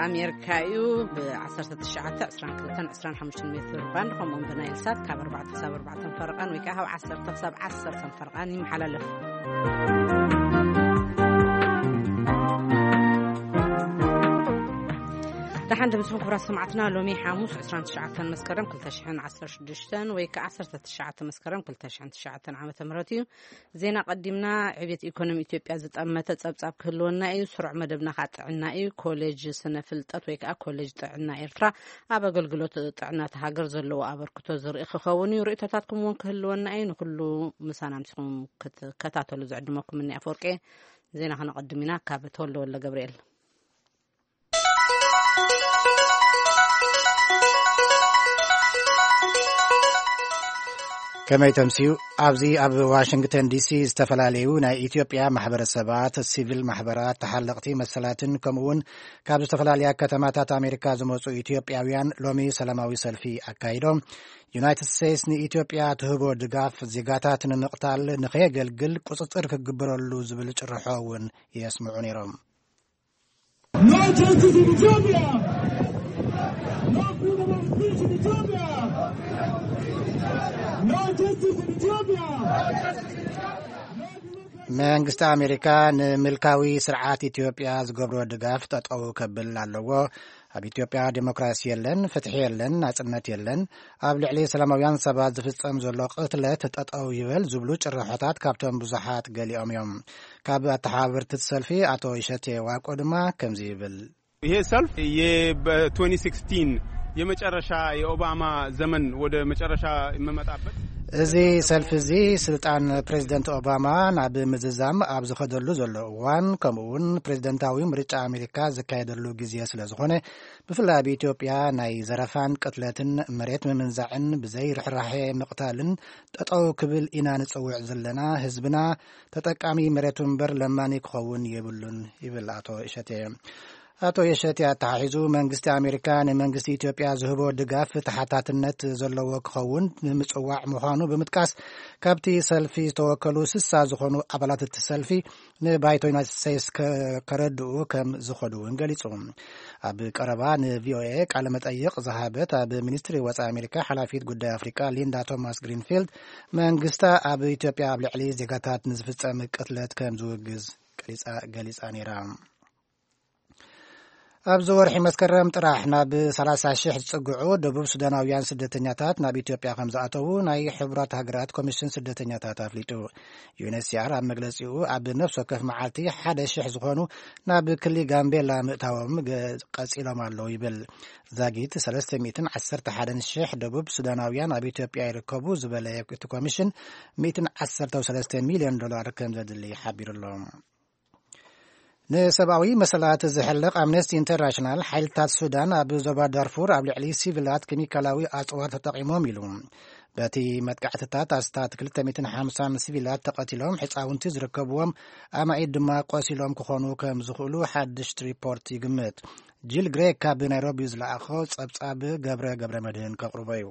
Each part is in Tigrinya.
ኣሜሪካ እዩ። ብ1922 ሜትር ባንድ ከምኡውን ብናይል ሳት ካብ ኣርባዕተ ክሳብ ኣርባዕተ ፈረቓን ወይ ከዓ ካብ ዓሰርተ ክሳብ ዓሰርተ ፈረቓን ይመሓላለፍ። ደሓን ድምፅኹም ክቡራት ሰማዕትና፣ ሎሚ ሓሙስ 29 መስከረም 2016 ወይ ከዓ 19 መስከረም 2009 ዓመተ ምህረት እዩ። ዜና ቀዲምና። ዕብየት ኢኮኖሚ ኢትዮጵያ ዝጠመተ ጸብጻብ ክህልወና እዩ። ስሩዕ መደብና ከዓ ጥዕና እዩ። ኮሌጅ ስነ ፍልጠት ወይ ከዓ ኮሌጅ ጥዕና ኤርትራ ኣብ ኣገልግሎት ጥዕና እቲ ሃገር ዘለዎ ኣበርክቶ ዝርኢ ክኸውን እዩ። ርእይቶታትኩም እውን ክህልወና እዩ። ንኩሉ ምሳና ምሲኹም ክትከታተሉ ዝዕድመኩም እኒ ኣፈወርቄ። ዜና ከነቐድም ኢና ካብ ተወልደ ወልደ ገብርኤል። ከመይ ተምስዩ? ኣብዚ ኣብ ዋሽንግተን ዲሲ ዝተፈላለዩ ናይ ኢትዮጵያ ማሕበረሰባት፣ ሲቪል ማሕበራት፣ ተሓለቕቲ መሰላትን ከምኡውን ካብ ዝተፈላለያ ከተማታት ኣሜሪካ ዝመፁ ኢትዮጵያውያን ሎሚ ሰላማዊ ሰልፊ ኣካይዶም። ዩናይትድ ስቴትስ ንኢትዮጵያ ትህቦ ድጋፍ ዜጋታት ንምቕታል ንኸየገልግል ቁፅፅር ክግበረሉ ዝብል ጭርሖ እውን የስምዑ ነይሮም። No justice in Ethiopia. No freedom of speech in Ethiopia. No justice in Ethiopia. መንግስቲ ኣሜሪካ ንምልካዊ ስርዓት ኢትዮጵያ ዝገብሮ ድጋፍ ጠጠው ከብል ኣለዎ። ኣብ ኢትዮጵያ ዴሞክራሲ የለን፣ ፍትሒ የለን፣ ናጽነት የለን፣ ኣብ ልዕሊ ሰላማውያን ሰባት ዝፍጸም ዘሎ ቅትለት ጠጠው ይበል ዝብሉ ጭርሖታት ካብቶም ብዙሓት ገሊኦም እዮም። ካብ ኣተሓባበርቲ ሰልፊ ኣቶ ይሸቴ ዋቆ ድማ ከምዚ ይብል። ይሄ ሰልፍ የ-፣ በ-2016 የመጨረሻ የኦባማ ዘመን ወደ መጨረሻ የምመጣበት። እዚ ሰልፍ እዚ ስልጣን ፕሬዚደንት ኦባማ ናብ ምዝዛም ኣብ ዝኸደሉ ዘሎ እዋን፣ ከምኡ እውን ፕሬዚደንታዊ ምርጫ ኣሜሪካ ዝካየደሉ ግዜ ስለ ዝኾነ፣ ብፍላይ ኣብ ኢትዮጵያ ናይ ዘረፋን ቅትለትን መሬት ምምንዛዕን ብዘይ ርሕራሐ ምቕታልን ጠጠው ክብል ኢና ንጽውዕ ዘለና። ህዝብና ተጠቃሚ መሬቱ እምበር ለማኒ ክኸውን የብሉን ይብል ኣቶ እሸቴ። ኣቶ የሸቴ ኣተሓሒዙ መንግስቲ ኣሜሪካ ንመንግስቲ ኢትዮጵያ ዝህቦ ድጋፍ ተሓታትነት ዘለዎ ክኸውን ንምጽዋዕ ምዃኑ ብምጥቃስ፣ ካብቲ ሰልፊ ዝተወከሉ ስሳ ዝኾኑ ኣባላት እቲ ሰልፊ ንባይቶ ዩናይትድ ስቴትስ ከ-፣ ከረድኡ ከም ዝኸዱ እውን ገሊጹ። ኣብ ቀረባ ንቪኦኤ ቃለ መጠይቕ ዝሃበት ኣብ ሚኒስትሪ ወጻኢ ኣሜሪካ ሓላፊት ጉዳይ ኣፍሪካ ሊንዳ ቶማስ ግሪንፊልድ፣ መንግስታ ኣብ ኢትዮጵያ ኣብ ልዕሊ ዜጋታት ንዝፍጸም ቅትለት ከም ዝውግዝ ገሊጻ፣ ገሊጻ ነይራ። ኣብዚ ወርሒ መስከረም ጥራሕ ናብ 30,000 ዝጽግዑ ደቡብ ሱዳናውያን ስደተኛታት ናብ ኢትዮጵያ ከም ዝኣተዉ ናይ ሕቡራት ሃገራት ኮሚሽን ስደተኛታት ኣፍሊጡ። ዩኤንኤችሲኣር ኣብ መግለጺኡ፣ ኣብ ነፍሲ ወከፍ መዓልቲ 1,000 ዝኾኑ ናብ ክሊ ጋምቤላ ምእታዎም ገ-፣ ቀጺሎም ኣለዉ ይብል። ዛጊት 311,000 ደቡብ ሱዳናውያን ኣብ ኢትዮጵያ ይርከቡ ዝበለ እቲ ኮሚሽን፣ 113 ሚልዮን ዶላር ከም ዘድሊ ሓቢሩ ኣሎ። ንሰብኣዊ መሰላት ዝሕልቕ ኣምነስቲ ኢንተርናሽናል፣ ሓይልታት ሱዳን ኣብ ዞባ ዳርፉር ኣብ ልዕሊ ሲቪላት ኬሚካላዊ ኣጽዋር ተጠቒሞም ኢሉ። በቲ መጥቃዕትታት ኣስታት 250 ሲቪላት ተቐቲሎም፣ ሕጻውንቲ ዝርከብዎም ኣማኢት ድማ ቆሲሎም ክኾኑ ከም ዝኽእሉ ሓድሽ ሪፖርት ይግምት። ጂል ግሬክ ካብ ናይሮቢ ዝለኣኾ ጸብጻብ ገብረ ገብረ መድህን ከቕርቦ እዩ።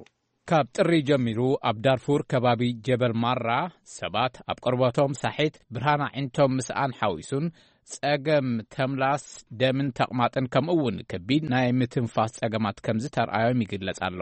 ካብ ጥሪ ጀሚሩ ኣብ ዳርፉር ከባቢ ጀበል ማራ ሰባት ኣብ ቆርበቶም ሳሒት፣ ብርሃን ኣዒንቶም ምስኣን ሓዊሱን ጸገም ተምላስ፣ ደምን ተቕማጥን ከምኡ እውን ከቢድ ናይ ምትንፋስ ጸገማት ከም ዝተርኣዮም ይግለጽ ኣሎ።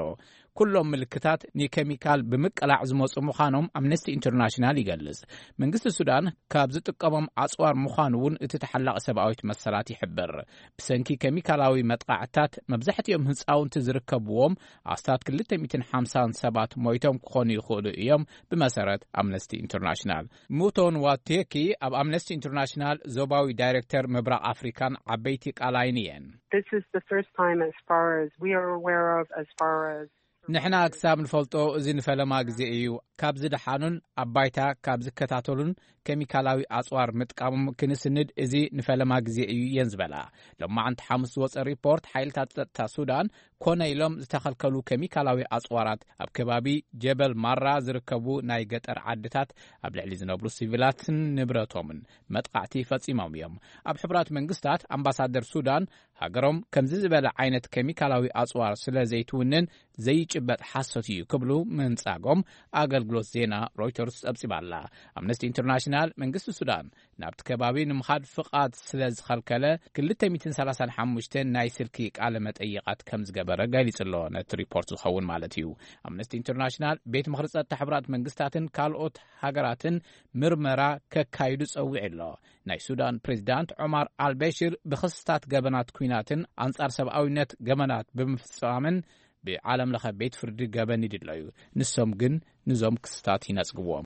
ኩሎም ምልክታት ንኬሚካል ብምቅላዕ ዝመጹ ምዃኖም ኣምነስቲ ኢንተርናሽናል ይገልጽ። መንግስቲ ሱዳን ካብ ዝጥቀሞም ኣጽዋር ምዃኑ እውን እቲ ተሓላቒ ሰብኣዊት መሰላት ይሕብር። ብሰንኪ ኬሚካላዊ መጥቃዕትታት መብዛሕትኦም ህጻውንቲ ዝርከብዎም ኣስታት 250 ሰባት ሞይቶም ክኾኑ ይኽእሉ እዮም፣ ብመሰረት ኣምነስቲ ኢንተርናሽናል። ሙቶን ዋቴኪ ኣብ ኣምነስቲ ኢንተርናሽናል ዞባዊ ዳይሬክተር ምብራቕ ኣፍሪካን ዓበይቲ ቃላይን እየን። This is the first time, as far as we are aware of, as far as ንሕና ክሳብ ንፈልጦ፣ እዚ ንፈለማ ግዜ እዩ። ካብ ዝደሓኑን ኣብ ባይታ ካብ ዝከታተሉን ኬሚካላዊ ኣጽዋር ምጥቃሞም ክንስንድ፣ እዚ ንፈለማ ግዜ እዩ እየን ዝበላ። ሎማዓንቲ ሓሙስ ዝወጸ ሪፖርት፣ ሓይልታት ጸጥታ ሱዳን ኮነ ኢሎም ዝተኸልከሉ ኬሚካላዊ ኣጽዋራት ኣብ ከባቢ ጀበል ማራ ዝርከቡ ናይ ገጠር ዓድታት ኣብ ልዕሊ ዝነብሩ ሲቪላትን ንብረቶምን መጥቃዕቲ ፈጺሞም እዮም። ኣብ ሕቡራት መንግስታት ኣምባሳደር ሱዳን፣ ሃገሮም ከምዚ ዝበለ ዓይነት ኬሚካላዊ ኣጽዋር ስለ ዘይትውንን ዘይጭበጥ ሓሶት እዩ ክብሉ ምንጻጎም ኣገልግሎት ዜና ሮይተርስ ጸብጺባ ኣላ። ኣምነስቲ ኢንተርናሽናል፣ መንግስቲ ሱዳን ናብቲ ከባቢ ንምኻድ ፍቓድ ስለ ዝኸልከለ፣ ክልተ ሚእትን ሰላሳን ሓሙሽተ ናይ ስልኪ ቃለ መጠይቓት ከም ዝገበረ ገሊጹ ኣሎ። ነቲ ሪፖርት ዝኸውን ማለት እዩ። ኣምነስቲ ኢንተርናሽናል፣ ቤት ምኽሪ ጸጥታ ሕቡራት መንግስታትን ካልኦት ሃገራትን ምርመራ ከካይዱ ጸዊዑ ኣሎ። ናይ ሱዳን ፕሬዚዳንት ዑማር ኣልበሽር ብኽስታት ገበናት ኲናትን ኣንጻር ሰብኣዊነት ገበናት ብምፍጻምን ብዓለም ለኸ ቤት ፍርዲ ገበን ይድለዩ። ንሶም ግን ንዞም ክስታት ይነጽግዎም።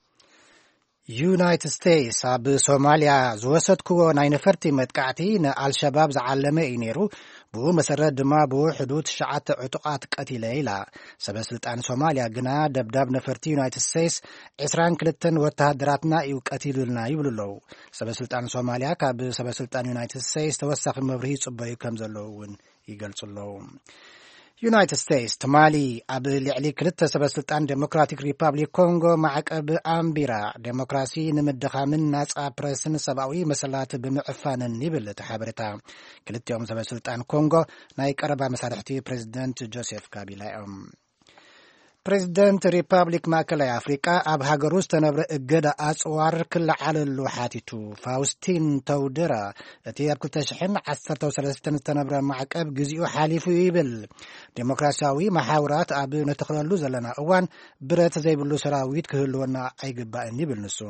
ዩናይትድ ስቴትስ ኣብ ሶማልያ ዝወሰድክዎ ናይ ነፈርቲ መጥቃዕቲ ንኣልሸባብ ዝዓለመ እዩ ነይሩ። ብኡ መሰረት ድማ ብውሕዱ ትሽዓተ ዕጡቓት ቀቲለ ኢላ። ሰበ ስልጣን ሶማልያ ግና ደብዳብ ነፈርቲ ዩናይትድ ስቴትስ ዕስራን ክልተን ወተሃደራትና እዩ ቀቲሉልና ይብሉ ኣለዉ። ሰበ ስልጣን ሶማልያ ካብ ሰበ ስልጣን ዩናይትድ ስቴትስ ተወሳኺ መብርሂ ይጽበዩ ከም ዘለዉ እውን ይገልጹ ኣለዉ። ዩናይትድ ስቴትስ ትማሊ ኣብ ልዕሊ ክልተ ሰበ ስልጣን ዴሞክራቲክ ሪፓብሊክ ኮንጎ ማዕቀብ ኣንቢራ፣ ዴሞክራሲ ንምድኻምን ናጻ ፕረስን ሰብኣዊ መሰላት ብምዕፋንን ይብል እቲ ሓበሬታ። ክልቲኦም ሰበ ስልጣን ኮንጎ ናይ ቀረባ መሳርሕቲ ፕሬዚደንት ጆሴፍ ካቢላ እዮም። ፕሬዚደንት ሪፓብሊክ ማእከላይ ኣፍሪቃ ኣብ ሃገሩ ዝተነብረ እገዳ ኣጽዋር ክለዓለሉ ሓቲቱ። ፋውስቲን ተውደራ፣ እቲ ኣብ ክልተ ሽሕን ዓሰርተ ሰለስተን ዝተነብረ ማዕቀብ ግዚኡ ሓሊፉ እዩ ይብል። ዴሞክራሲያዊ መሓውራት ኣብ ነተኽለሉ ዘለና እዋን፣ ብረት ዘይብሉ ሰራዊት ክህልወና ኣይግባእን ይብል ንሱ።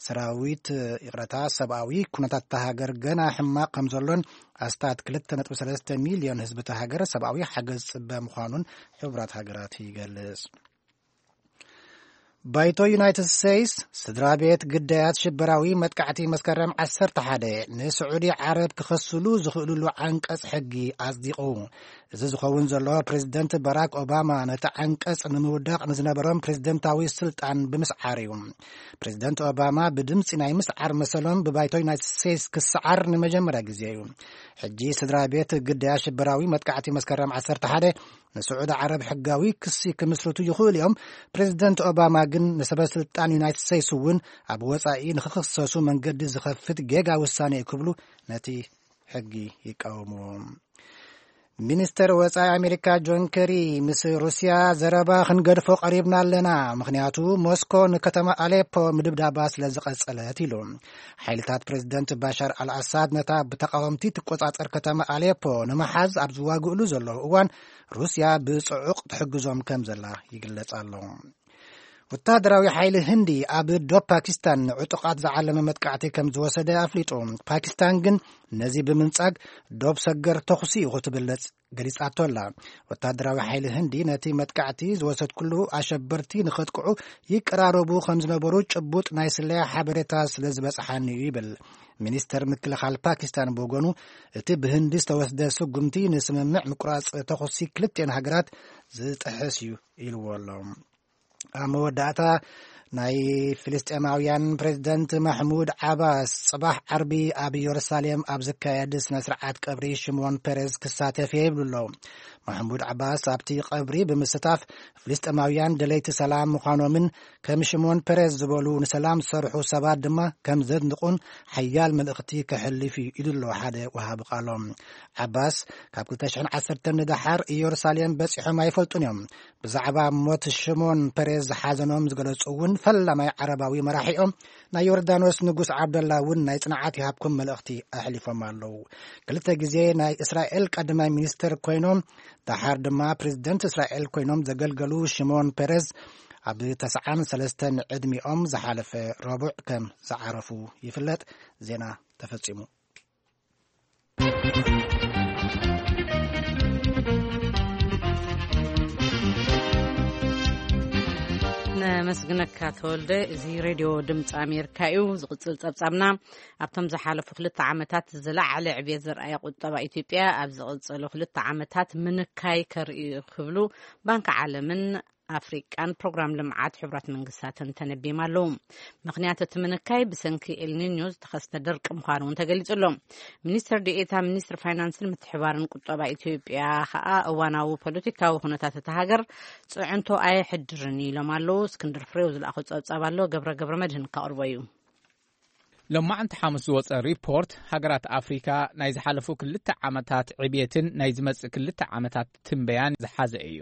ሰራዊት፣ ይቕረታ፣ ሰብኣዊ ኩነታት እታ ሃገር ገና ሕማቕ ከም ዘሎን ኣስታት ክልተ ነጥቢ ሰለስተ ሚልዮን ህዝቢ እታ ሃገር ሰብኣዊ ሓገዝ ዝጽበ ምዃኑን ሕቡራት ሃገራት ይገልጽ። ባይቶ ዩናይትድ ስቴትስ፣ ስድራ ቤት ግዳያት ሽበራዊ መጥቃዕቲ መስከረም ዓሰርተ ሓደ ንስዑዲ ዓረብ ክኸስሉ ዝኽእልሉ ዓንቀጽ ሕጊ ኣጽዲቑ። እዚ ዝኸውን ዘሎ፣ ፕሬዚደንት ባራክ ኦባማ ነቲ ዓንቀጽ ንምውዳቕ ንዝነበሮም ፕሬዚደንታዊ ስልጣን ብምስዓር እዩ። ፕሬዚደንት ኦባማ ብድምጺ ናይ ምስዓር መሰሎም ብባይቶ ዩናይትድ ስቴትስ ክሰዓር ንመጀመርያ ግዜ እዩ። ሕጂ ስድራ ቤት ግዳያት ሽበራዊ መጥቃዕቲ መስከረም ዓሰርተ ሓደ ንስዑዲ ዓረብ ሕጋዊ ክሲ ክምስርቱ ይኽእሉ እዮም። ፕሬዚደንት ኦባማ ግን ንሰበ ስልጣን ዩናይትድ ስቴትስ እውን ኣብ ወጻኢ ንኽኽሰሱ መንገዲ ዝኸፍት ጌጋ ውሳኔ እዩ ክብሉ ነቲ ሕጊ ይቃወምዎ። ሚኒስተር ወጻኢ ኣሜሪካ ጆን ኬሪ፣ ምስ ሩስያ ዘረባ ክንገድፎ ቀሪብና ኣለና፣ ምኽንያቱ ሞስኮ ንከተማ ኣሌፖ ምድብዳባ ስለ ዝቐጸለት ኢሉ። ሓይልታት ፕሬዚደንት ባሻር ኣልኣሳድ ነታ ብተቃወምቲ ትቆጻጸር ከተማ ኣሌፖ ንምሓዝ ኣብ ዝዋግእሉ ዘለዉ እዋን፣ ሩስያ ብጽዑቕ ትሕግዞም ከም ዘላ ይግለጽ ኣሎ። ወታደራዊ ሓይሊ ህንዲ ኣብ ዶብ ፓኪስታን ንዕጡቓት ዝዓለመ መጥቃዕቲ ከም ዝወሰደ ኣፍሊጡ። ፓኪስታን ግን ነዚ ብምንጻግ ዶብ ሰገር ተኹሲ እዩ ክትብል ገሊጻቶ ኣላ። ወታደራዊ ሓይሊ ህንዲ ነቲ መጥቃዕቲ ዝወሰድኩሉ ኣሸበርቲ ንኸጥቅዑ ይቀራረቡ ከም ዝነበሩ ጭቡጥ ናይ ስለያ ሓበሬታ ስለ ዝበጽሓኒ እዩ ይብል። ሚኒስተር ምክልኻል ፓኪስታን ብወገኑ፣ እቲ ብህንዲ ዝተወስደ ስጉምቲ ንስምምዕ ምቁራጽ ተኹሲ ክልቲኤን ሃገራት ዝጥሕስ እዩ ኢልዎ ኣሎ። ኣብ መወዳእታ፣ ናይ ፍልስጤማውያን ፕሬዚደንት ማሕሙድ ዓባስ ጽባሕ ዓርቢ ኣብ ኢየሩሳሌም ኣብ ዝካየድ ስነ ስርዓት ቀብሪ ሽሞን ፔሬዝ ክሳተፍ እየ ይብሉ ኣለዉ። ማሕሙድ ዓባስ ኣብቲ ቀብሪ ብምስታፍ፣ ፍልስጤማውያን ደለይቲ ሰላም ምዃኖምን ከም ሽሞን ፔሬዝ ዝበሉ ንሰላም ዝሰርሑ ሰባት ድማ ከም ዘድንቑን ሓያል መልእኽቲ ከሕልፍ እዩ ኢሉ ኣሎ ሓደ ወሃቢ ቃሎም። ዓባስ ካብ ክልተ ሽሕን ዓሰርተን ንደሓር ኢየሩሳሌም በጺሖም ኣይፈልጡን እዮም። ብዛዕባ ሞት ሽሞን ፔሬዝ ዝሓዘኖም ዝገለጹ እውን ፈላማይ ዓረባዊ መራሒኦም ናይ ዮርዳኖስ ንጉስ ዓብደላ እውን ናይ ጽንዓት ይሃብኩም መልእኽቲ ኣሕሊፎም ኣለዉ። ክልተ ግዜ ናይ እስራኤል ቀዳማይ ሚኒስትር ኮይኖም፣ ደሓር ድማ ፕሬዚደንት እስራኤል ኮይኖም ዘገልገሉ ሽሞን ፔሬዝ፣ ኣብ ተስዓን ሰለስተን ዕድሚኦም ዝሓለፈ ረቡዕ ከም ዝዓረፉ ይፍለጥ። ዜና ተፈጺሙ። ነመስግነካ ተወልደ። እዚ ሬድዮ ድምፂ ኣሜሪካ እዩ። ዝቕፅል ፀብፃብና፣ ኣብቶም ዝሓለፉ ክልተ ዓመታት ዝለዓለ ዕብየት ዘርኣየ ቁጠባ ኢትዮጵያ ኣብ ዝቕፅሉ ክልተ ዓመታት ምንካይ ከርኢ ክብሉ ባንኪ ዓለምን ኣፍሪቃን ፕሮግራም ልምዓት ሕቡራት መንግስታትን ተነቢም ኣለዉ። ምኽንያት እቲ ምንካይ ብሰንኪ ኤልኒኞ ዝተኸስተ ድርቂ ምዃኑ እውን ተገሊጹ ኣሎ። ሚኒስትር ዴኤታ ሚኒስትሪ ፋይናንስን ምትሕባርን ቁጠባ ኢትዮጵያ ከኣ እዋናዊ ፖለቲካዊ ኩነታት እታ ሃገር ጽዕንቶ ኣየሕድርን ኢሎም ኣለዉ። እስክንድር ፍሬው ዝለኣኾ ጸብጻብ ኣሎ፣ ገብረ ገብረ መድህን ከቕርቦ እዩ። ሎማዕንቲ ሓሙስ ዝወጸ ሪፖርት ሃገራት ኣፍሪካ ናይ ዝሓለፉ ክልተ ዓመታት ዕብየትን ናይ ዝመጽእ ክልተ ዓመታት ትንበያን ዝሓዘ እዩ።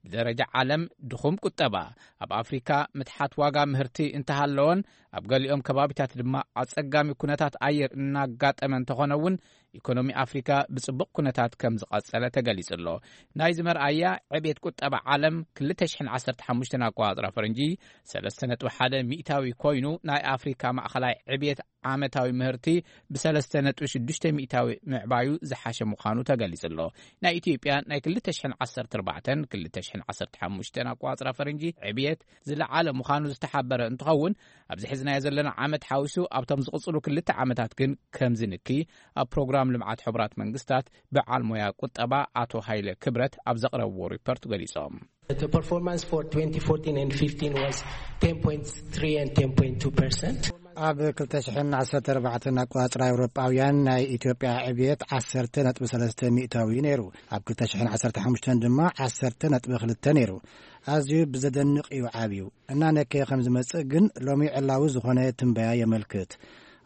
ብደረጃ ዓለም ድኹም ቁጠባ፣ ኣብ ኣፍሪካ ምትሓት ዋጋ ምህርቲ እንተሃለወን፣ ኣብ ገሊኦም ከባቢታት ድማ ኣጸጋሚ ኩነታት ኣየር እናጋጠመ እንተኾነ እውን፣ ኢኮኖሚ ኣፍሪካ ብጽቡቕ ኩነታት ከም ዝቐጸለ ተገሊጹ ኣሎ። ናይዚ መርኣያ ዕብየት ቁጠባ ዓለም ክልተ ሽሕን ዓሰርተ ሓሙሽተን ኣቆጻጽራ ፈረንጂ ሰለስተ ነጥቢ ሓደ ሚእታዊ ኮይኑ፣ ናይ ኣፍሪካ ማእኸላይ ዕብየት ዓመታዊ ምህርቲ ብሰለስተ ነጥቢ ሽዱሽተ ሚእታዊ ምዕባዩ ዝሓሸ ምዃኑ ተገሊጹ ኣሎ። ናይ ኢትዮጵያ ናይ ክልተ ሽሕን ዓሰርተ ኣርባዕተን ክልተ ሽሕን ዓሰርተ ሓሙሽተን ኣቆጻጽራ ፈረንጂ ዕብየት ዝለዓለ ምዃኑ ዝተሓበረ እንትኸውን፣ ኣብዚ ሕዝናዮ ዘለና ዓመት ሓዊሱ ኣብቶም ዝቕጽሉ ክልተ ዓመታት ግን ከምዚ ንኪ ኣብ ፕሮግራም ልምዓት ሕቡራት መንግስታት በዓል ሞያ ቁጠባ ኣቶ ሃይለ ክብረት ኣብ ዘቕረብዎ ሪፖርት ገሊጾም። The performance for twenty fourteen and fifteen was ten point three and ten point two percent. ኣብ ክልተ ሽሕን ዓሰርተ ኣርባዕተን ኣቆጻጽራ ኤውሮጳውያን ናይ ኢትዮጵያ ዕብየት ዓሰርተ ነጥቢ ሰለስተ ሚእታዊ ነይሩ። ኣብ ክልተ ሽሕን ዓሰርተ ሓሙሽተን ድማ ዓሰርተ ነጥቢ ክልተ ነይሩ። ኣዝዩ ብዘደንቕ እዩ ዓብዩ። እናነከየ ከም ዝመጽእ ግን ሎሚ ዕላዊ ዝኾነ ትንበያ የመልክት።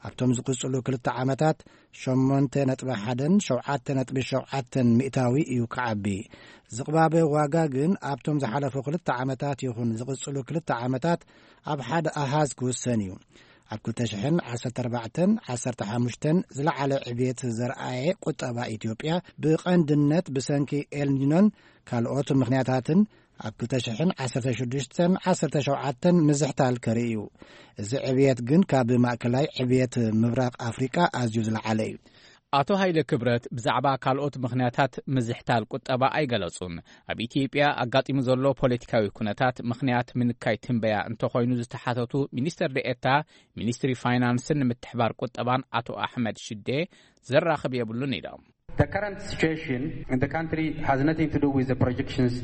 ኣብቶም ዝቕጽሉ ክልተ ዓመታት ሸሞንተ ነጥቢ ሓደን ሸውዓተ ነጥቢ ሸውዓተን ሚእታዊ እዩ ክዓቢ። ዝቕባበ ዋጋ ግን ኣብቶም ዝሓለፉ ክልተ ዓመታት ይኹን ዝቕጽሉ ክልተ ዓመታት ኣብ ሓደ ኣሃዝ ክውሰን እዩ። ኣብ ክልተ ሽሕን ዓሰርተ ኣርባዕተን ዓሰርተ ሓሙሽተን ዝለዓለ ዕብየት ዘርኣየ ቁጠባ ኢትዮጵያ ብቐንድነት ብሰንኪ ኤልኒኖን ካልኦት ምኽንያታትን ኣብ ክልተ ሽሕን ዓሰርተ ሽዱሽተን ዓሰርተ ሸውዓተን ምዝሕታል ከርኢ እዩ። እዚ ዕብየት ግን ካብ ማእከላይ ዕብየት ምብራቕ ኣፍሪቃ ኣዝዩ ዝለዓለ እዩ። ኣቶ ሃይለ ክብረት ብዛዕባ ካልኦት ምኽንያታት ምዝሕታል ቁጠባ ኣይገለጹን። ኣብ ኢትዮጵያ ኣጋጢሙ ዘሎ ፖለቲካዊ ኩነታት ምኽንያት ምንካይ ትንበያ እንተኾይኑ ዝተሓተቱ ሚኒስትር ደኤታ ሚኒስትሪ ፋይናንስን ምትሕባር ቁጠባን ኣቶ ኣሕመድ ሽዴ ዘራኽብ የብሉን ኢሎም። The current situation in the country has nothing to do with the projections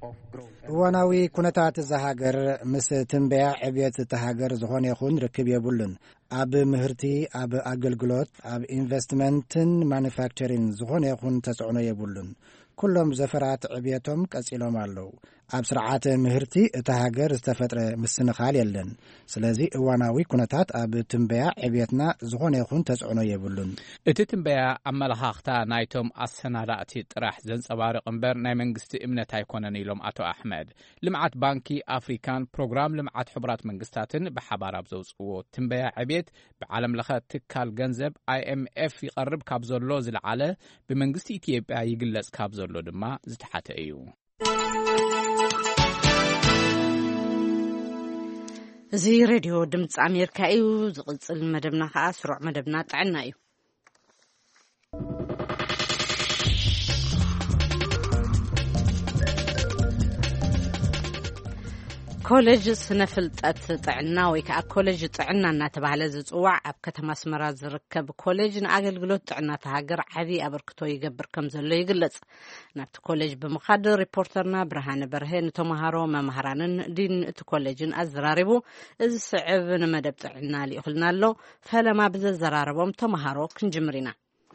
of growth. እዋናዊ ኩነታት እዛ ሃገር ምስ ትንበያ ዕብየት እታ ሃገር ዝኾነ ይኹን ርክብ የብሉን። ኣብ ምህርቲ፣ ኣብ ኣገልግሎት፣ ኣብ ኢንቨስትመንትን ማኑፋክቸሪን ዝኾነ ይኹን ተጽዕኖ የብሉን። ኩሎም ዘፈራት ዕብየቶም ቀጺሎም ኣለዉ። ኣብ ስርዓተ ምህርቲ እታ ሃገር ዝተፈጥረ ምስንኻል የለን። ስለዚ እዋናዊ ኩነታት ኣብ ትንበያ ዕብየትና ዝኾነ ይኹን ተጽዕኖ የብሉን። እቲ ትንበያ ኣመለኻኽታ ናይቶም ኣሰናዳእቲ ጥራሕ ዘንጸባርቕ እምበር ናይ መንግስቲ እምነት ኣይኮነን ኢሎም ኣቶ ኣሕመድ። ልምዓት ባንኪ ኣፍሪካን ፕሮግራም ልምዓት ሕቡራት መንግስታትን ብሓባር ኣብ ዘውፅዎ ትንበያ ዕብየት ብዓለም ለኸ ትካል ገንዘብ ኣይኤምኤፍ ይቐርብ ካብ ዘሎ ዝለዓለ ብመንግስቲ ኢትዮጵያ ይግለጽ ካብ ዘሎ ድማ ዝተሓተ እዩ። እዚ ሬድዮ ድምፂ ኣሜሪካ እዩ። ዝቕፅል መደብና ከዓ ስሩዕ መደብና ጥዕና እዩ። ኮሌጅ ስነ ፍልጠት ጥዕና ወይ ከዓ ኮሌጅ ጥዕና እናተባህለ ዝፅዋዕ ኣብ ከተማ ኣስመራ ዝርከብ ኮሌጅ ንኣገልግሎት ጥዕና እታ ሃገር ዓብዪ ኣበርክቶ ይገብር ከም ዘሎ ይግለጽ። ናብቲ ኮሌጅ ብምኻድ ሪፖርተርና ብርሃነ በርሀ ንተምሃሮ፣ መምህራንን ዲን እቲ ኮሌጅን ኣዘራሪቡ። እዚ ስዕብ ንመደብ ጥዕና ልኢኹልና ኣሎ። ፈለማ ብዘዘራረቦም ተምሃሮ ክንጅምር ኢና።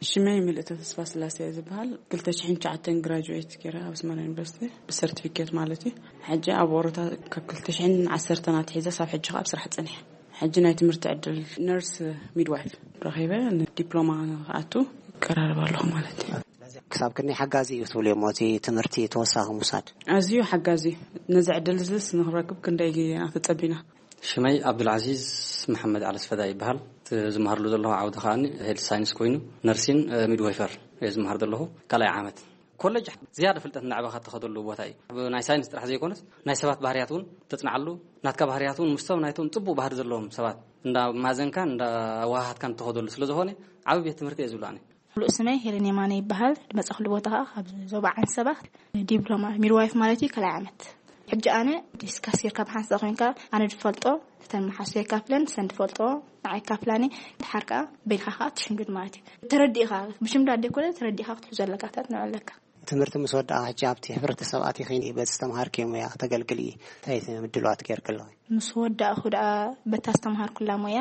ሽመይ ምልእተ ተስፋ ስላሴ እየ ዝበሃል። ክልተ ሽሕን ትሽዓተን ግራጁዌት ገይረ ኣብ ኣስመራ ዩኒቨርሲቲ ብሰርቲፊኬት ማለት እዩ። ሕጂ ኣብ ወረታ ካብ ክልተ ሽሕን ዓሰርተን ኣትሒዘ ሳብ ሕጂ ከኣ ኣብ ስራሕ ጸኒሐ። ሕጂ ናይ ትምህርቲ ዕድል ነርስ ሚድዋይፍ ረኺበ ንዲፕሎማ ክኣቱ እቀራረብ ኣለኹ ማለት እዩ። ክሳብ ክንደይ ሓጋዚ እዩ ትብሉ እሞ እቲ ትምህርቲ ተወሳኺ ምውሳድ? ኣዝዩ ሓጋዚ እዩ። ነዚ ዕድል እዚስ ንክረክብ ክንደይ ግዜ ኢና ተጸቢና። ሽመይ ኣብዱልዓዚዝ መሓመድ ዓለስፈዳ ይበሃል። እቲ ዝመሃርሉ ዘለኹ ዓውዲ ከኣ ሄልት ሳይንስ ኮይኑ ነርሲን ሚድዋይፈር እየ ዝመሃር ዘለኹ ካልኣይ ዓመት። ኮለጅ ዝያዳ ፍልጠት እናዕበኻ እትኸደሉ ቦታ እዩ። ኣብ ናይ ሳይንስ ጥራሕ ዘይኮነስ ናይ ሰባት ባህርያት እውን ተጽንዓሉ፣ ናትካ ባህርያት እውን ምስቶም ናይቶም ጽቡቕ ባህሪ ዘለዎም ሰባት እንዳማዘንካን እንዳዋሃሃትካን እትኸደሉ ስለ ዝኾነ ዓቢ ቤት ትምህርቲ እየ ዝብሎ ኣነ። ሙሉእ ስመይ ሄለን የማነ ይበሃል። ዝመጻኹሉ ቦታ ከኣ ካብ ዞባ ዓንሰባ ዲፕሎማ ሚድዋይፍ ማለት እዩ፣ ካልኣይ ዓመት። ሕጂ ኣነ ዲስካስ ጌርካ ብሓንሳእ ኮይንካ ኣነ ዝፈልጦ እተን መሓዙተይ የካፍለን፣ ንሰን ዝፈልጥኦ ንዓይ የካፍላኒ። ድሓር ከኣ በይንኻ ከኣ ትሽምድድ ማለት እዩ። ተረዲእኻ፣ ብሽምዳድ ዘይኮነ ተረዲእኻ ክትሕዞ ኣለካ፣ እታ ትንዕለካ። ትምህርቲ ምስ ወዳኣ ሕጂ ኣብቲ ሕብረተሰብ ኣቲኺ በቲ ዝተምሃርክዮ ሞያ ከተገልግሊ እንታይ ምድላዋት ጌርኪ ኣለኺ? ምስ ወዳእኹ ደኣ በታ ዝተምሃርኩላ ሞያ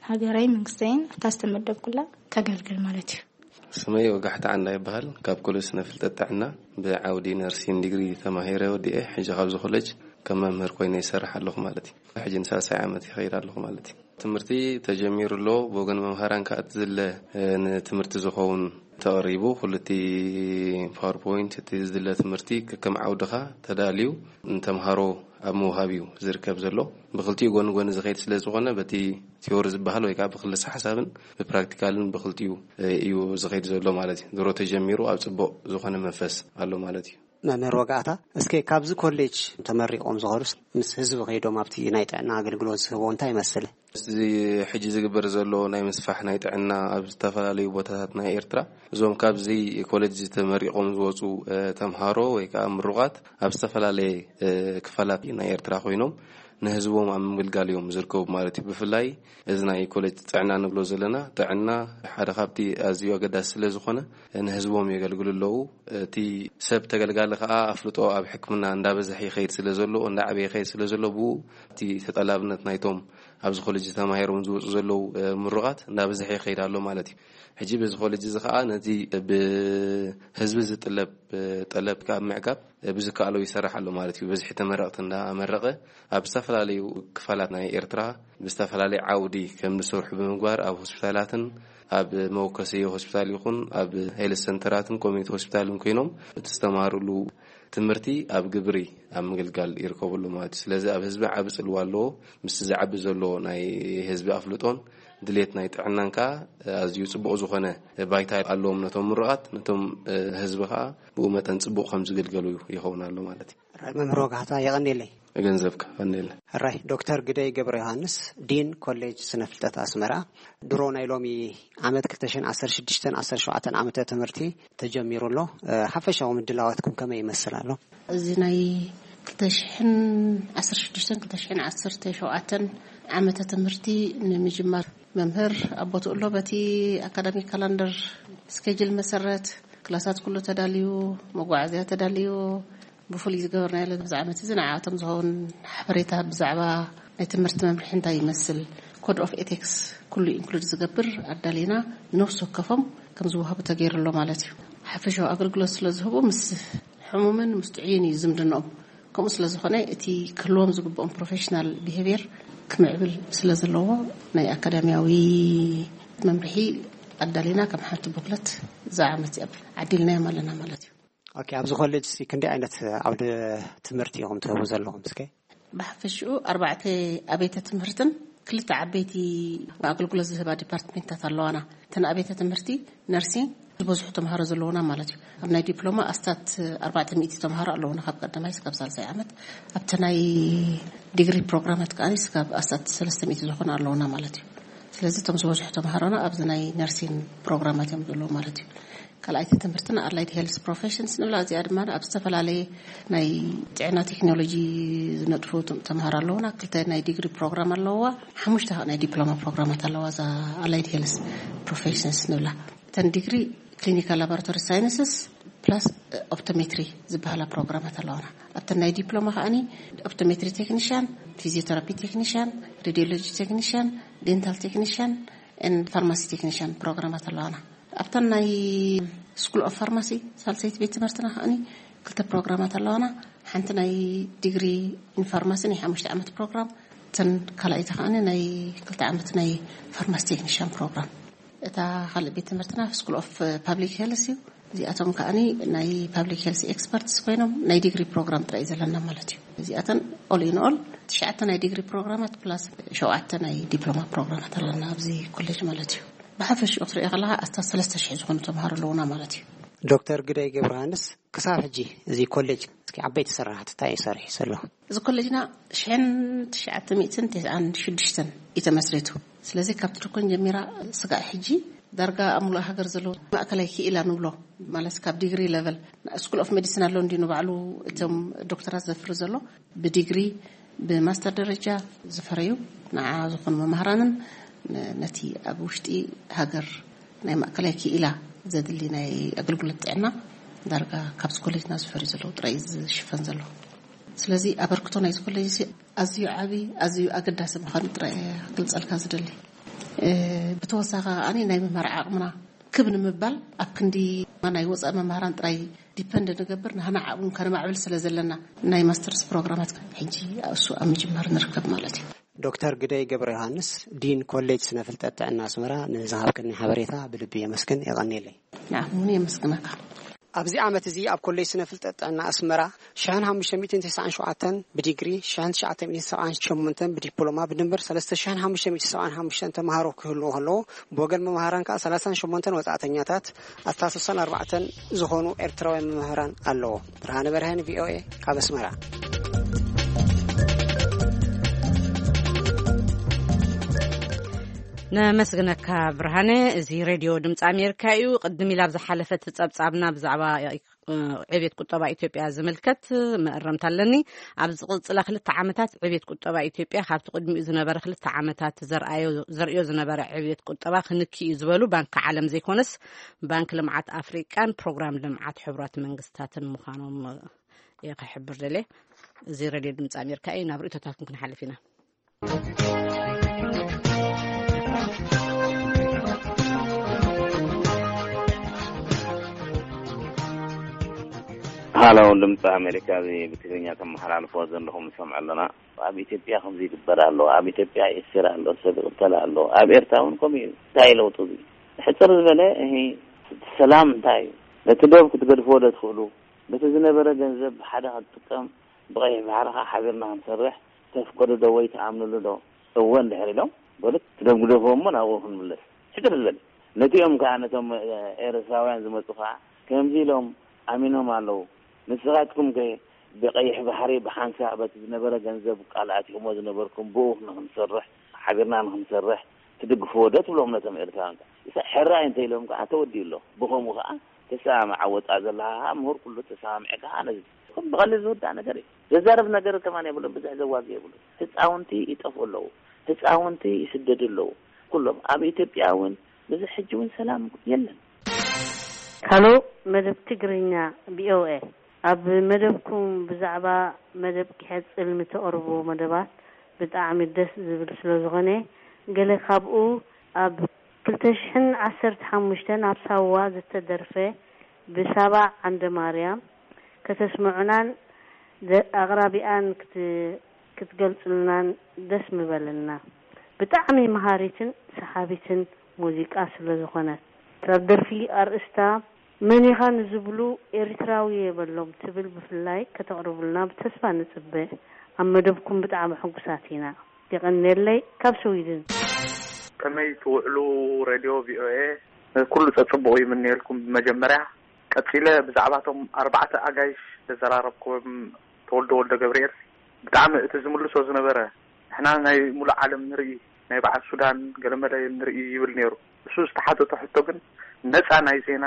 ሃገረይ መንግስተይን ኣብታ ዝተመደብኩላ ከገልግል ማለት እዩ። ስመይ ወጋሕታ ዓንዳ ይበሃል። ካብ ኮሌጅ ስነ ፍልጠት ጥዕና ብዓውዲ ነርሲን ዲግሪ ተማሂረ ወዲኤ። ሕጂ ካብዚ ኮሌጅ ከም መምህር ኮይነ ይሰርሕ ኣለኹ ማለት እዩ። ሕጂ ንሳልሳይ ዓመት ይኸይድ ኣለኹ ማለት እዩ። ትምህርቲ ተጀሚሩ ኣሎ። ብወገን መምሃራን ከኣ እቲ ዝለ ንትምህርቲ ዝኸውን ተቐሪቡ። ኩሉ እቲ ፓወርፖይንት፣ እቲ ዝድለ ትምህርቲ ከከም ዓውድኻ ተዳልዩ ንተምሃሮ ኣብ ምውሃብ እዩ ዝርከብ ዘሎ። ብክልቲኡ ጎኒ ጎኒ ዝኸይድ ስለ ዝኾነ፣ በቲ ቲዮሪ ዝበሃል ወይ ከዓ ብክልሰ ሓሳብን ብፕራክቲካልን ብክልቲኡ እዩ ዝኸይድ ዘሎ ማለት እዩ። ድሮ ተጀሚሩ ኣብ ጽቡቕ ዝኾነ መንፈስ ኣሎ ማለት እዩ። መምህር ወጋእታ፣ እስከ ካብዚ ኮሌጅ ተመሪቖም ዝኸዱስ ምስ ህዝቢ ከይዶም ኣብቲ ናይ ጥዕና ኣገልግሎት ዝህቦ እንታይ ይመስል? እዚ ሕጂ ዝግበር ዘሎ ናይ ምስፋሕ ናይ ጥዕና ኣብ ዝተፈላለዩ ቦታታት ናይ ኤርትራ፣ እዞም ካብዚ ኮሌጅ ተመሪቖም ዝወፁ፣ እ፣ ተምሃሮ ወይ ከዓ ምሩቓት ኣብ ዝተፈላለየ፣ እ፣ ክፋላት ናይ ኤርትራ ኮይኖም ንህዝቦም ኣብ ምግልጋል እዮም ዝርከቡ ማለት እዩ። ብፍላይ እዚ ናይ ኮሌጅ ጥዕና ንብሎ ዘለና፣ ጥዕና ሓደ ካብቲ ኣዝዩ ኣገዳሲ ስለ ዝኾነ ንህዝቦም የገልግሉ ኣለዉ። እቲ ሰብ ተገልጋሊ ከዓ ኣፍልጦ ኣብ ሕክምና እንዳበዝሐ ይኸይድ ስለ ዘሎ፣ እንዳዓበየ ይኸይድ ስለ ዘሎ፣ ብኡ እቲ ተጠላብነት ናይቶም ኣብዚ ኮሌጅ ተማሂሮም ዝወፁ ዘለዉ፣ እ፣ ምሩቓት እንዳበዝሐ ይኸይድ ኣሎ ማለት እዩ። ሕጂ በዚ ኮሌጅ እዚ ከዓ ነቲ ብህዝቢ ዝጥለብ፣ እ፣ ጠለብ ካብ ምዕጋብ፣ እ፣ ብዝከኣሎ ይሰርሕ ኣሎ ማለት እዩ። በዝሒ ተመረቕቲ እንዳመረቐ ኣብ ዝተፈላለዩ ክፋላት ናይ ኤርትራ ብዝተፈላለየ ዓውዲ ከም ዝሰርሑ ብምግባር ኣብ ሆስፒታላትን ኣብ መወከሲ ሆስፒታል ይኹን ኣብ ሄልት ሰንተራትን ኮሚኒቲ ሆስፒታልን ኮይኖም እቲ ዝተማሃርሉ ትምህርቲ ኣብ ግብሪ ኣብ ምግልጋል ይርከቡ ኣለዉ ማለት እዩ። ስለዚ ኣብ ህዝቢ ዓቢ ጽልዋ ኣለዎ። ምስቲ ዝዓቢ ዘሎ ናይ ህዝቢ ኣፍልጦን ድሌት ናይ ጥዕናን ከኣ ኣዝዩ ጽቡቕ ዝኾነ ባይታ ኣለዎም ነቶም ምሩቓት፣ ነቶም ህዝቢ ከኣ ብኡ መጠን ጽቡቕ ከም ዝግልገሉ ይኸውን ኣሎ ማለት እዩ። ሕራይ መምህር ወጋሕታ የቐንየለይ። ገንዘብካ ቀንየለ። ሕራይ ዶክተር ግደይ ገብረ ዮሃንስ ዲን ኮሌጅ ስነ ፍልጠት ኣስመራ፣ ድሮ ናይ ሎሚ ዓመት ክልተ ሽሕን ዓሰርተ ሽዱሽተን ዓሰርተ ሸውዓተን ዓመተ ትምህርቲ ተጀሚሩ ኣሎ። እ፣ ሓፈሻዊ ምድላዋትኩም ከመይ ይመስል ኣሎ? እዚ ናይ ክልተ ሽሕን ዓሰርተ ሽዱሽተን ክልተ ሽሕን ዓሰርተ ሸውዓተን ዓመተ ትምህርቲ ንምጅማር መምህር ኣብ ቦትኡ ኣሎ። በቲ ኣካዳሚክ ካላንደር ስኬጅል መሰረት ክላሳት ኩሉ ተዳልዩ፣ መጓዓዝያ ተዳልዩ፣ ብፍሉይ ዝገበርናዮ ኣብዚ ዓመት እዚ ንዓኣቶም ዝኸውን ሓበሬታ ብዛዕባ ናይ ትምህርቲ መምርሒ እንታይ ይመስል፣ ኮድ ኦፍ ኤቲክስ ኩሉ ኢንክሉድ ዝገብር ኣዳሊና ነፍሲ ወከፎም ከም ዝወሃቡ ተገይሩ ኣሎ ማለት እዩ። ሓፈሻዊ ኣገልግሎት ስለ ዝህቡ ምስ ሕሙምን ምስ ጥዑይን እዩ ዝምድንኦም። ከምኡ ስለ ዝኾነ እቲ ክህልዎም ዝግብኦም ፕሮፌሽናል ቢሄቪየር ክምዕብል ስለ ዘለዎ ናይ ኣካዳሚያዊ መምርሒ ኣዳሊና ከም ሓንቲ ቦክለት እዛ ዓመት እዚኣ ዓዲልናዮም ኣለና ማለት እዩ። ኦኬ፣ ኣብዚ ኮሌጅ እዚ ክንደይ ዓይነት ዓውደ ትምህርቲ ኢኹም ትህቡ ዘለኹም እስከ? ብሓፈሽኡ ኣርባዕተ ኣብያተ ትምህርትን ክልተ ዓበይቲ ኣገልግሎት ዝህባ ዲፓርትሜንታት ኣለዋና። እተን ኣብያተ ትምህርቲ ነርሲንግ ዝበዝሑ ተምሃሮ ዘለዉና ማለት እዩ። ኣብ ናይ ዲፕሎማ ኣስታት ኣርባዕተ ሚእቲ ተምሃሮ ኣለዉና ካብ ቀዳማይ እስካብ ሳልሳይ ዓመት። ኣብቲ ናይ ዲግሪ ፕሮግራማት ከኣ እስካብ ኣስታት ሰለስተ ሚእቲ ዝኾኑ ኣለዉና ማለት እዩ። ስለዚ እቶም ዝበዝሑ ተምሃሮና ኣብዚ ናይ ነርሲንግ ፕሮግራማት እዮም ዘለዉ ማለት እዩ። ካልኣይቲ ትምህርትና ኣላይድ ሄልስ ፕሮፌሽንስ ንብላ። እዚኣ ድማ ኣብ ዝተፈላለየ ናይ ጥዕና ቴክኖሎጂ ዝነጥፉ ቶም-፣ ተምሃሮ ኣለዉና። ክልተ ናይ ዲግሪ ፕሮግራም ኣለዋ፣ ሓሙሽተ ናይ ዲፕሎማ ፕሮግራማት ኣለዋ እዛ ኣላይድ ሄልስ ፕሮፌሽንስ ንብላ። እተን ዲግሪ ክሊኒካል ላቦራቶሪ ሳይንስስ ፕላስ ኦፕቶሜትሪ ዝበሃላ ፕሮግራማት ኣለዋና። ኣብተን ናይ ዲፕሎማ ከኣኒ ኦፕቶሜትሪ ቴክኒሽያን፣ ፊዚዮቴራፒ ቴክኒሽያን፣ ሬዲዮሎጂ ቴክኒሽያን፣ ዴንታል ቴክኒሽያን ኤንድ ፋርማሲ ቴክኒሽያን ፕሮግራማት ኣለዋና። ኣብተን ናይ ስኩል ኦፍ ፋርማሲ ሳልሰይቲ ቤት ትምህርትና ከኣኒ ክልተ ፕሮግራማት ኣለዋና። ሓንቲ ናይ ዲግሪ ኢን ፋርማሲ ናይ ሓሙሽተ ዓመት ፕሮግራም፣ እተን ካልኣይቲ ከኣኒ ናይ ክልተ ዓመት ናይ ፋርማሲ ቴክኒሽያን ፕሮግራም። እታ ካልእ ቤት ትምህርትና ስኩል ኦፍ ፓብሊክ ሄልስ እዩ። እዚኣቶም ከኣኒ ናይ ፓብሊክ ሄልስ ኤክስፐርትስ ኮይኖም ናይ ዲግሪ ፕሮግራም ጥራይ እዩ ዘለና ማለት እዩ። እዚኣተን ኦል ኢን ኦል ትሽዓተ ናይ ዲግሪ ፕሮግራማት ፕላስ ሸውዓተ ናይ ዲፕሎማ ፕሮግራማት ኣለና ኣብዚ ኮሌጅ ማለት እዩ። ብሓፈሽኡ ክትሪኦ ከለኻ ኣስታት ሰለስተ ሽሕ ዝኾኑ ተምሃሮ ኣለዉና ማለት እዩ። ዶክተር ግደይ ገብረሃንስ፣ ክሳብ ሕጂ እዚ ኮሌጅ እስኪ ዓበይቲ ስራሕቲ እንታይ እዩ ሰሪሑ ዘሎ? እዚ ኮሌጅና ሽሕን ትሽዓተ ሚእትን ተስዓን ሽዱሽተን እዩ ተመስሪቱ። ስለዚ ካብ ትርኮን ጀሚራ ስጋዕ ሕጂ ዳርጋ ኣብ ሙሉእ ሃገር ዘለዉ ማእከላይ ክኢላ ንብሎ፣ ማለት ካብ ዲግሪ ሌቨል፣ ስኩል ኦፍ ሜዲሲን ኣሎ እንዲ ንባዕሉ እቶም ዶክተራት ዘፍሪ ዘሎ ብዲግሪ ብማስተር ደረጃ ዝፈረዩ ንዓ ዝኾኑ መማህራንን ነ-፣ ነቲ ኣብ ውሽጢ ሃገር ናይ ማእከላይ ክኢላ ዘድሊ ናይ ኣገልግሎት ጥዕና ዳርጋ ካብዚ ኮሌጅና ዝፈርዩ ዘለዉ ጥራይ እዩ ዝሽፈን ዘሎ። ስለዚ ኣበርክቶ ናይዚ ኮሌጅ እዚ ኣዝዩ ዓቢ፣ ኣዝዩ ኣገዳሲ ምዃኑ ጥራይ እየ ክገልጸልካ ዝደሊ። እ፣ ብተወሳኺ ከኣ ናይ ምምሃር ዓቕምና ክብ ንምባል ኣብ ክንዲ ናይ ወጻኢ መምህራን ጥራይ ዲፐንድ ንገብር፣ ንህና ዓቕሚ ከነማዕብል ስለ ዘለና ናይ ማስተርስ ፕሮግራማት ሕጂ እሱ ኣብ ምጅማር ንርከብ ማለት እዩ። ዶክተር ግደይ ገብረ ዮሃንስ፣ ዲን ኮሌጅ ስነ ፍልጠት ጥዕና ኣስመራ፣ ንዝሃብክኒ ሓበሬታ ብልቢ የመስግን። የቐንየለይ። ንዓኹም እውን የመስግነካ። ኣብዚ ዓመት እዚ ኣብ ኮሌጅ ስነ ፍልጠት ጥዕና ኣስመራ ሽሕን ሓሙሽተ ሚእትን ተስዓን ሸውዓተን ብዲግሪ፣ ሽሕን ትሽዓተ ሚእትን ሰብዓን ሸሞንተን ብዲፕሎማ፣ ብድምር ሰለስተ ሽሕን ሓሙሽተ ሚእትን ሰብዓን ሓሙሽተን ተምሃሮ ክህልዎ ከለዎ፣ ብወገን መምሃራን ከኣ ሰላሳን ሸሞንተን ወጻእተኛታት፣ ኣስታት ስሳን ኣርባዕተን ዝኾኑ ኤርትራውያን መምህራን ኣለዎ። ብርሃነ በርሀን፣ ቪ ኦ ኤ፣ ካብ ኣስመራ። ነመስግነካ ብርሃነ። እዚ ሬድዮ ድምፂ ኣሜሪካ እዩ። ቅድም ኢላ ኣብ ዝሓለፈት ጸብጻብና ብዛዕባ፣ እ፣ ዕብየት ቁጠባ ኢትዮጵያ ዝምልከት መእረምታ ኣለኒ። ኣብ ዝቕጽላ ክልተ ዓመታት ዕብየት ቁጠባ ኢትዮጵያ ካብቲ ቅድሚኡ ዝነበረ ክልተ ዓመታት ዘርኣዮ-፣ ዘርእዮ ዝነበረ ዕብየት ቁጠባ ክንኪ እዩ ዝበሉ ባንኪ ዓለም ዘይኮነስ ባንኪ ልምዓት ኣፍሪቃን ፕሮግራም ልምዓት ሕቡራት መንግስታትን ምዃኖም እየ ክሕብር ደልየ። እዚ ሬድዮ ድምፂ ኣሜሪካ እዩ። ናብ ርእይቶታትኩም ክንሓልፍ ኢና። ሃሎ፣ ድምፂ ኣሜሪካ፣ እዚ ብትግርኛ ተመሓላልፎ ዘለኹም ንሰምዕ ኣለና። ኣብ ኢትዮጵያ ከምዚ ይግበር ኣሎ፣ ኣብ ኢትዮጵያ ይእሰር ኣሎ፣ ሰብ ይቕተል ኣሎ፣ ኣብ ኤርትራ እውን ከምኡ እዩ። እንታይ እዩ ለውጡ እዚ? ሕፅር ዝበለ፣ እሂ፣ ሰላም እንታይ እዩ? ነቲ ዶብ ክትገድፍዎ ዶ ትኽእሉ? በቲ ዝነበረ ገንዘብ ብሓደ ክትጥቀም፣ ብቐይሕ ባሕሪ ኸዓ ሓቢርና ክንሰርሕ ተፍቅዱ ዶ ወይ ትኣምንሉ ዶ? እወ እንድሕር ኢሎም፣ በሉ፣ እቲ ዶብ ግደፍዎ እሞ ናብኡ ክንምለስ። ሕፅር ዝበለ። ነቲኦም ከኣ፣ ነቶም፣ እ፣ ኤርትራውያን ዝመጹ ከኣ፣ ከምዚ ኢሎም ኣሚኖም ኣለዉ። ንስኻትኩም ከ ብቐይሕ ባሕሪ ብሓንሳእ በቲ ዝነበረ ገንዘብ ቃል ኣቲኹሞ ዝነበርኩም፣ ብኡ ንኽንሰርሕ፣ ሓቢርና ንኽንሰርሕ ትድግፍዎ ዶ ትብሎም ነቶም ኤርትራውያን ከ? እሳ ሕራይ እንተ ኢሎም ከኣ ተወዲኡ ኣሎ። ብኸምኡ ከኣ ተሰማምዓ ወጻ ዘለኻ ከኣ ምሁር ኩሉ ተሰማምዐ ከኣ ነዚ። ብቐሊል ዝውዳእ ነገር እዩ። ዘዛርብ ነገር ከማን የብሉን፣ ብዙሕ ዘዋግእ የብሉን። ህጻውንቲ ይጠፍኡ ኣለዉ። ህጻውንቲ ይስደዱ ኣለዉ። ኩሎም ኣብ ኢትዮጵያ እውን ብዙሕ ሕጂ እውን ሰላም የለን። ሃሎ፣ መደብ ትግርኛ ቪ ኦ ኤ። ኣብ መደብኩም ብዛዕባ መደብ ኪሐጽል ንተቕርቦ መደባት ብጣዕሚ ደስ ዝብል ስለ ዝኾነ፣ ገለ ካብኡ ኣብ ክልተ ሽሕን ዓሰርተ ሓሙሽተን ኣብ ሳዋ ዝተደርፈ ብሳባ ዓንደ ማርያም ከተስምዑናን ዘ-፣ ኣቕራቢኣን ክት-፣ ክትገልጹልናን ደስ ምበለና። ብጣዕሚ መሃሪትን ሰሓቢትን ሙዚቃ ስለ ዝኾነት። እታ ደርፊ ኣርእስታ መን ኢኻ ንዝብሉ ኤርትራዊ የበሎም ትብል ብፍላይ ከተቕርቡልና ብተስፋ ንጽበ። ኣብ መደብኩም ብጣዕሚ ሕጉሳት ኢና። የቐንየለይ ካብ ስዊድን። ከመይ ትውዕሉ ሬድዮ ቪ ኦ ኤ? ኩሉ ጸጽቡቑ ይምነየልኩም። ብመጀመርያ ቀጺለ ብዛዕባቶም ኣርባዕተ ኣጋይሽ ዘዘራረብኩም ተወልደ ወልደ ገብርኤል ብጣዕሚ እቲ ዝምልሶ ዝነበረ ንሕና ናይ ሙሉእ ዓለም ንርኢ፣ ናይ በዓል ሱዳን ገለመለ ንርኢ ይብል ነይሩ። እሱ ዝተሓተቶ ሕቶ ግን ነጻ ናይ ዜና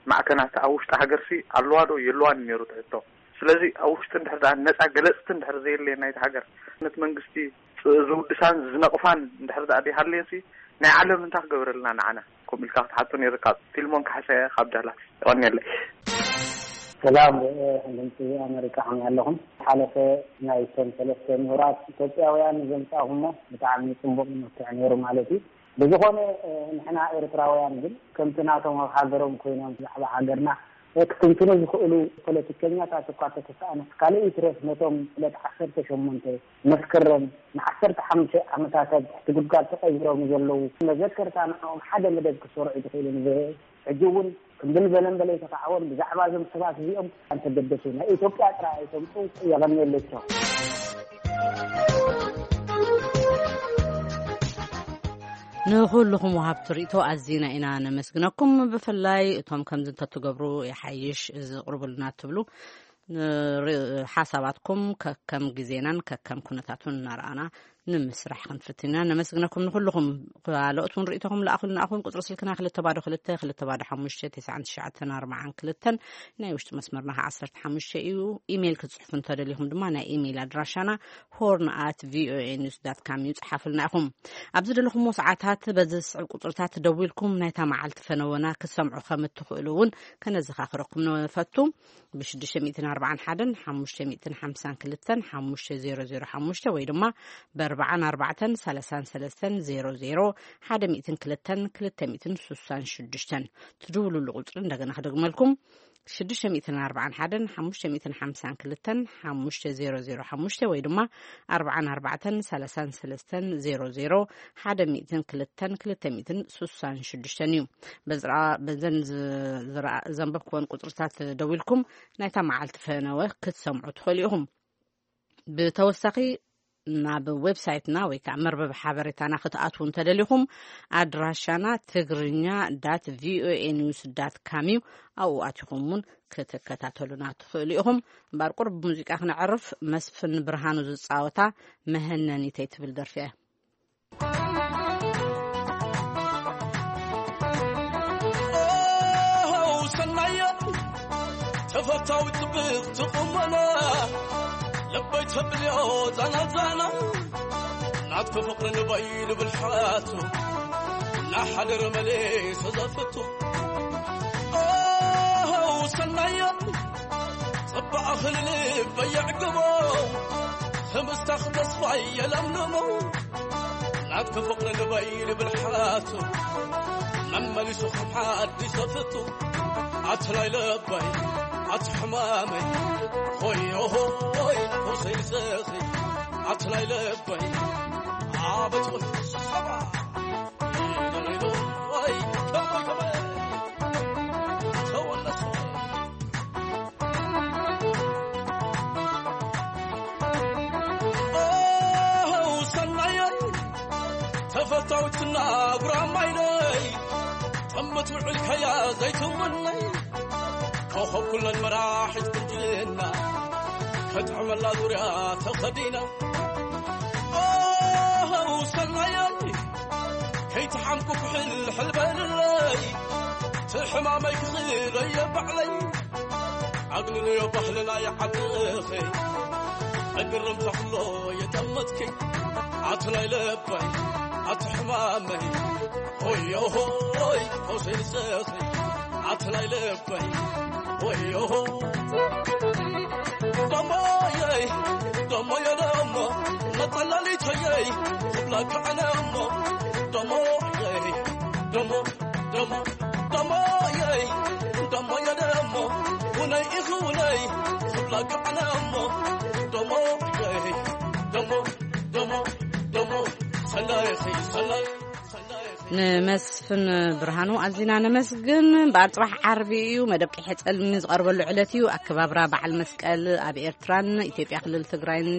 ማዕከናት ኣብ ውሽጢ ሃገርሲ ኣለዋ ዶ የለዋን ነይሩ እቲ ሕቶ። ስለዚ ኣብ ውሽጢ እንድሕር ደኣ ነጻ ገለጽቲ እንድሕር ዘየለየን ናይቲ ሃገር፣ ነቲ መንግስቲ ዝ-፣ ዝውድሳን ዝነቕፋን እንድሕር ደኣ ደይሃለየንሲ ናይ ዓለም እንታይ ክገብረልና ንዓና? ከምኡ ኢልካ ክትሓቶ ነይርካ። ፊልሞን ካሕሳየ ካብ ዳላስ። የቐንየለይ። ሰላም፣ እ፣ ድምፂ ኣሜሪካ ከመይ ኣለኹም? ሓለፈ ናይቶም ሰለስተ ምሁራት ኢትዮጵያውያን ዘምፃእኹሞ ብጣዕሚ ፅቡቕ መፍትሒ ነይሩ ማለት እዩ። ብዝኾነ፣ እ፣ ንሕና ኤርትራውያን ግን ከምቲ ናቶም ኣብ ሃገሮም ኮይኖም ብዛዕባ ሃገርና ክትንትኑ ዝኽእሉ ፖለቲከኛታት እኳ ተተሰኣነስ፣ ካልእ ይትረፍ ነቶም ዕለት ዓሰርተ ሸሞንተ መስከረም ንዓሰርተ ሓሙሽተ ዓመታት ኣብ ትሕቲ ጉድጓድ ተቐቢሮም ዘለዉ መዘከርታ ንዕኦም ሓደ መደብ ክሰርዑ ትኽእሉ ንዝህእ። ሕጂ እውን እምብል በለን በለ ኣይተኻዕወን። ብዛዕባ እዞም ሰባት እዚኦም ኣንተገደሱ ናይ ኢትዮጵያ ጥራይ ኣይተምፁ። የቐንየለይ። ቻው። ንኹልኹም ወሃብቲ ርእይቶ ኣዚና ኢና ነመስግነኩም። ብፍላይ እቶም ከምዚ እንተትገብሩ ይሓይሽ ዝቕርቡልና ትብሉ ንር-፣ ሓሳባትኩም ከከም ግዜናን ከከም ኩነታቱን እናረኣና ንምስራሕ ክንፍትን ኢና። ነመስግነኩም ንኩልኹም። ካልኦት እውን ርእይቶኹም ለኣኹልና። ኣኹን ቁጽሪ ስልክና ክልተ ባዶ ክልተ፣ ክልተ ባዶ ሓሙሽተ፣ ትስዓን ትሽዓተን ኣርባዓን ክልተን፣ ናይ ውሽጢ መስመርና ከኣ ዓሰርተ ሓሙሽተ እዩ። ኢሜይል ክትጽሕፉ እንተደሊኹም ድማ ናይ ኢሜይል ኣድራሻና ሆርን ኣት ቪኦኤ ኒውስ ዳት ካም እዩ። ጽሓፉልና ኢኹም። ኣብ ዝደለኹምዎ ሰዓታት በዚ ዝስዕብ ቁጽርታት ደዊልኩም ናይታ መዓልቲ ፈነወና ክትሰምዑ ከም እትኽእሉ እውን ከነዘኻኽረኩም ንፈቱ። ብ ሽዱሽተ ሚእትን ኣርባዓን ሓደን ሓሙሽተ ሚእትን ሓምሳን ክልተን ሓሙሽተ ዜሮ ዜሮ ሓሙሽተ ወይ ድማ ብ ኣርባዓን ኣርባዕተን ሰላሳን ሰለስተን ዜሮ ዜሮ ሓደ ሚእትን ክልተን ክልተ ሚእትን ስሳን ሽዱሽተን ትድውሉሉ ቁጽሪ እንደገና ክደግመልኩም። ሽዱሽተ ሚእትን ኣርባዓን ሓደን ሓሙሽተ ሚእትን ሓምሳን ክልተን ሓሙሽተ ዜሮ ዜሮ ሓሙሽተ ወይ ድማ ኣርባዓን ኣርባዕተን ሰላሳን ሰለስተን ዜሮ ዜሮ ሓደ ሚእትን ክልተን ክልተ ሚእትን ስሳን ሽዱሽተን እዩ። በዝራ-፣ በዘን ዝ-፣ ዝረኣ-፣ ዘንበብክወን ቁጽርታት ደዊልኩም ናይታ መዓልቲ ፈነወ ክትሰምዑ ትኽእሉ ኢኹም። ብተወሳኺ ናብ ዌብሳይትና ወይ ከዓ መርበብ ሓበሬታና ክትኣትዉ እንተደሊኹም ኣድራሻና ትግርኛ ዳት ቪኦኤ ኒውስ ዳት ካም እዩ። ኣብኡ ኣቲኹም እውን ክትከታተሉና ትኽእሉ ኢኹም። እምበኣር ቁሩብ ብሙዚቃ ክነዕርፍ መስፍን ብርሃኑ ዝፃወታ መሀነኒተይ ትብል ደርፊ እያ። ኦሆ፣ ሰናየ ተፈታዊ ጽብቕቲ ቁመና፣ ልበይ ተብልዮ ዛና ዛና፣ ናትኪ ፍቕሪ ንበይ ልብል ሓቱ፣ ናሓደረ መሌሰ ዘፍቱ። ኦሆ፣ ሰናየ ጽባቐኺ ንልበይ የዕግቦ፣ ህምስታኺ ተስፋይ የለምልሞ። ናትኪ ፍቕሪ ልበይ ልብል ሓቱ፣ መመሊሱ ከም ሓድሽ ዘፍቱ። ኣቲ ናይ ልበይ፣ ኣቲ ሕማመይ፣ ሆዮ ሆይ፣ ፈውሰይ ንስኺ። ኣቲ ናይ ልበይ፣ ኣበት ወይ ሰባ። ሆይ፣ ከመይ፣ ከመይ፣ ተወለሶ። ኦሆ፣ ሰናየይ፣ ተፈታዊትና ጉራማይለይ፣ ጥምት ውዕል ከያ ዘይትውነይ፣ ኮኸብ ኩለን መራሒት ቁንጅና፣ ከጥዕመላ ዙርያ ተኸዲና። ኦሆ፣ ሰናየይ፣ ከይትሓምኩ ኩሕል ሕልበልለይ፣ ትሕማመይ ክኽለየ ባዕለይ። ኣግንንዮ ባህልና ይዓድኺ፣ እግርም ተኽሎ የጠመትኪ። ኣቲ ናይ ልበይ፣ ኣቲ ሕማመይ፣ ሆዮ ሆይ፣ ፈውሰይ ንስኺ። ኣቲ ናይ ልበይ፣ ሆዮ ሆ። ደሞየይ፣ ደሞየ ደሞ፣ መጠለሊተየይ፣ ክብለካ ኣነ እሞ። ደሞየይ፣ ደሞ፣ ደሞ፣ ደሞየይ፣ ደሞየ ደሞ፣ ውነይ ኢኺ ውነይ፣ ክብለካ ኣነ እሞ። ደሞየይ፣ ደሞ፣ ደሞ፣ ደሞ፣ ሰናይኺ፣ ሰናይ፣ ሰናይኺ። ንመስፍን ብርሃኑ ኣዚና ነመስግን። እምበኣር ጽባሕ ዓርቢ እዩ፣ መደብ ቀይሕ ጸልሚ ዝቐርበሉ ዕለት እዩ። ኣከባብራ በዓል መስቀል ኣብ ኤርትራን ኢትዮጵያ ክልል ትግራይን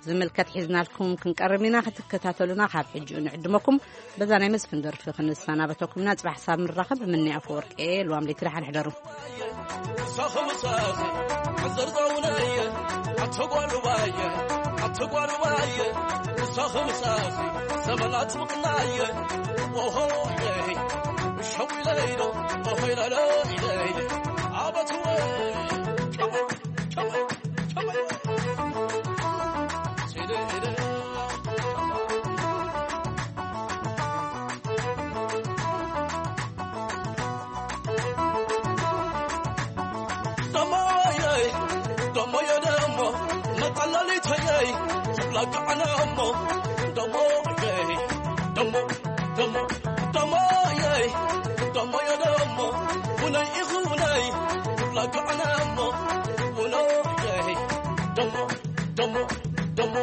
ዝምልከት ሒዝናልኩም ክንቀርብ ኢና። ክትከታተሉና ካብ ሕጂኡ ንዕድመኩም። በዛ ናይ መስፍን ደርፊ ክንሰናበተኩም ኢና። ጽባሕ ሳብ ንራኸብ። ምኒ ኣፈወርቂ እየ። ልዋም ለይቲ ደሓን ሕደሩ። ሳኸ ምሳኸ ሕዘር ዛውነየ፣ ኣተጓሩባየ፣ ኣተጓሩባየ፣ ሳኸ ምሳኸ ዘመናት ምቕናየ፣ ኦሆየ፣ ሸዊለይዶ፣ ኦሆይ ላለ ኢለይ፣ ኣበትወ፣ ሸወ፣ ሸወ፣ ሸወ። ደሞየይ፣ ደሞየ ደሞ፣ መጠለሊተየይ፣ ክብለካ ኣነ እሞ። ደሞየይ፣ ደሞ፣ ደሞ፣ ደሞየይ፣ ደሞየ ደሞ፣ ውነይ ኢኺ ውነይ፣ ክብለካ ኣነ እሞ። ውነየይ፣ ደሞ፣ ደሞ፣ ደሞ።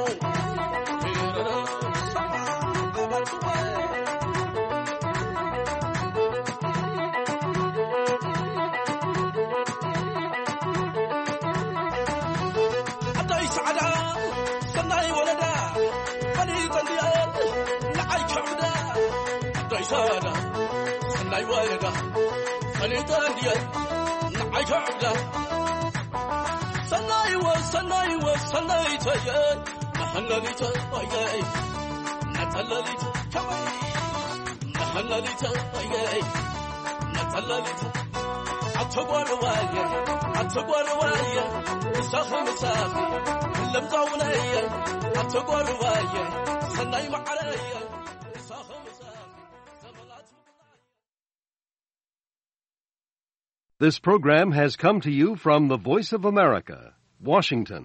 ኣዳይ ሰዓዳ ሰናይ ወለዳ፣ ፈሊጠ እንድየ ንዓይ ከዕብዳ። ኣዳይ ሰዓዳ ሰናይ ወለዳ፣ ፈሊጠ እንድየ ንዓይ ከዕብዳ። ሰናይ ወ-፣ ሰናይ ወ-፣ ሰናይተየ፣ መሐለሊተየ። መሐለሊት ከመይ መሐለሊት ኣየይ መጸለሊት ኣተጓርዋየ ኣተጓርዋየ ምሳኺ ምሳኺ ለምዛውነየ ኣተጓርዋየ ሰናይ መዓረየ ምሳኺ ምሳኺ ዘመናት This program has come to you from the Voice of America, Washington.